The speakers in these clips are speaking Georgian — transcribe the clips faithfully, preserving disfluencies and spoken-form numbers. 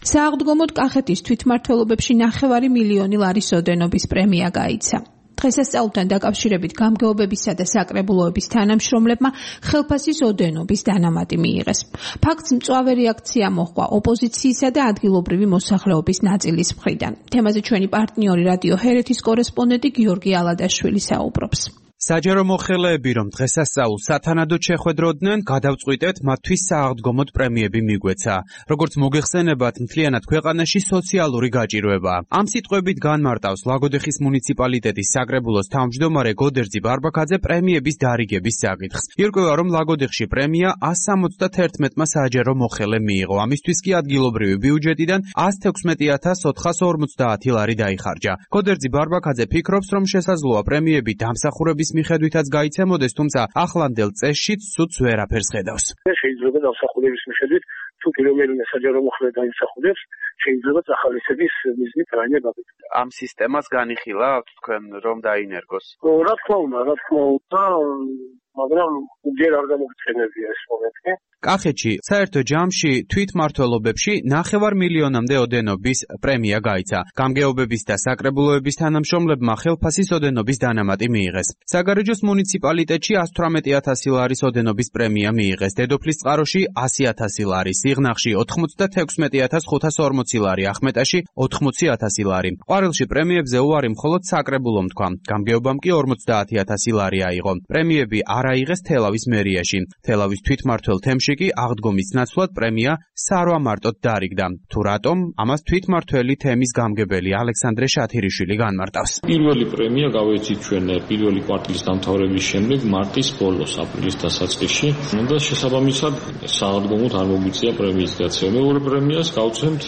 სააღდგომოდ კახეთის თვითმმართველობებში ნახევარი მილიონი ლარის ოდენობის პრემია გაიცა. დღესასწაულთან დაკავშირებით გამგეობებისა და საკრებულოების თანამშრომლებმა ხელფასის ოდენობის დანამატი მიიღეს. ფაქტს მწვავე რეაქცია მოჰყვა ოპოზიციისა და ადგილობრივი მოსახლეობის ნაწილის მხრიდან. თემაზე ჩვენი პარტნიორი რადიო ჰერეთის კორესპონდენტი გიორგი ალადაშვილი საუბრობს. საჯარო მოხელეები, რომ დღესასწაულს სათანადოდ შეხვედროდნენ, გადავწყვიტეთ მათთვის სააღდგომოდ პრემიები მიგვეცა. როგორც მოგეხსენებათ, მთლიანად ქვეყანაში სოციალური გაჭირვება. ამ სიტყვებით განმარტავს ლაგოდეხის მუნიციპალიტეტის საკრებულოს თავმჯდომარე გოდერძი ბარბაქაძე პრემიების დარიგების საკითხს. ირკვევა, რომ ლაგოდეხში პრემია ასს სამოცდათერთმეტმა საჯარო მოხელე მიიღო. ამისთვის კი ადგილობრივი ბიუჯეტიდან ასს თექვსმეტი ათას ოთხას ორმოცდაათი ლარი დაიხარჯა. გოდერძი ბარბაქაძე ფიქრობს, რომ შესაძლოა პრემიები დამსახურების მიხედვითაც გაიცემოდეს, თუმცა ახლანდელ წესშიც სუდს ვერაფერს ხედავს. შეიძლება დამსახურების მიხედვით თუ პირველი საჯარო მოხელე დაიმსახურებს, შეიძლება ახალისების მიზნით რაიმე გაგეთქვა. ამ სისტემას განიხილავთ თქვენ რომ დაინერგოს? რა თქმა უნდა, რა თქმა უნდა, მაგრამ ჯერ არ გამოგცხენებია ეს მომენტი. კახეთში საერთო ჯამში თვითმმართველობებში ნახევარ მილიონამდე ოდენობის პრემია გაიცა. გამგეობების და საკრებულოების თანამშრომლებმა ხელფასის ოდენობის დანამატი მიიღეს. საგარეჯოს მუნიციპალიტეტში ასს თვრამეტი ათასი ლარის ოდენობის პრემია მიიღეს. დედოფლისწყაროში ასი ათასი ლარი, სიღნაღში ოთხმოცდათექვსმეტი ათას ხუთას ორმოცი ლარი, ახმეტაში ოთხმოცი ათასი ლარი. ყვარელში პრემიებზე უარი მხოლოდ საკრებულომ თქვა. გამგეობამ კი ორმოცდაათი ათასი ლარი აიღო. პრემიები არ აიღეს თელავის მერიაში. თელავის თვითმმართველ თემში კი აღდგომის ნაცვლად პრემია სარვა მარტოდ დაარიგდა. თუ რატომ, ამას თვითმმართველი თემის გამგებელი ალექსანდრე შათირიშვილი განმარტავს. პირველი პრემია გავეცით ჩვენ პირველი კვარტლის დამთავრების შემდეგ მარტის ბოლოს, აპრილის დასაწყისში და შესაბამისად სააღდგომოდ არ მოგვიწია პრემიის გაცემა. მეორე პრემიას გავცემთ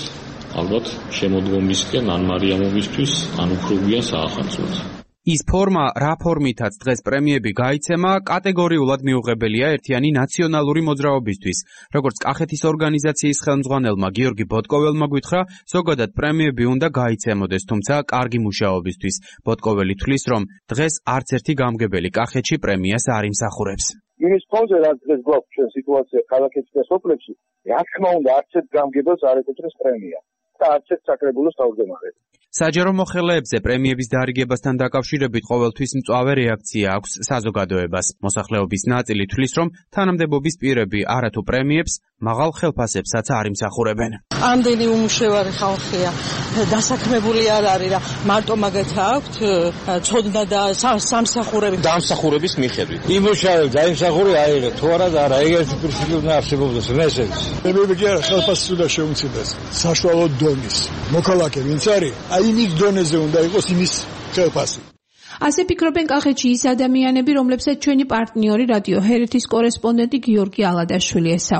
ალბათ შემოდგომისკენ ან მარიამოვისთვის, ან უფრო გვიან საახალწლოდ. ის ფორმა, რა ფორმითაც დღეს პრემიები გაიცემა, კატეგორიულად მიუღებელია ერთიანი ნაციონალური მოძრაობისთვის. როგორც კახეთის ორგანიზაციის ხელმძღვანელმა გიორგი ბოტკოველმა გითხრა, ზოგადად პრემიები უნდა გაიცემოდეს, თუმცა კარგი მუშაობისთვის. ბოტკოველი თვლის, რომ დღეს არც ერთი გამგებელი კახეთში პრემიას არ იმსახურებს. იმის ფონზე, რაც დღეს გვაქვს ჩვენ სიტუაცია ქალაქებში და სოფლებში, რა თქმა უნდა, არც ერთ გამგებელს არ ეკუთვნის პრემია და არც ერთ საკრებულოს თავმჯდომარეს. საჯარო მოხელეებზე პრემიების დარიგებასთან დაკავშირებით ყოველთვის მწვავე რეაქცია აქვს საზოგადოებას. მოსახლეობის ნაწილი თვლის, რომ თანამდებობის პირები არათუ პრემიებს, მაღალ ხელფასებსაც არ იმსახურებენ. ამდენი უმუშევარი ხალხია, დასაქმებული არ არის რა, მარტო მაგათ აქვთ ცოდნა და სამსახურები. დამსახურების მიხედვით. იმუშავე დაიმსახურე აიღე, თუ არა და არა, ეგეთი პრინციპი უნდა არსებობდეს მესეც. პრემიები კი არა, ხელფასი უნდა შეუმცირდეს. საშუალო დონის. მოქალაქე ვინც არის, აი იმის დონეზე უნდა იყოს იმის ხელფასი. ასე ფიქრობენ კახეთში ის ადამიანები, რომლებსაც ჩვენი პარტნიორი რადიო ჰერეთის კორესპონდენტი გიორგი ალადაშვილი ესაუბრა.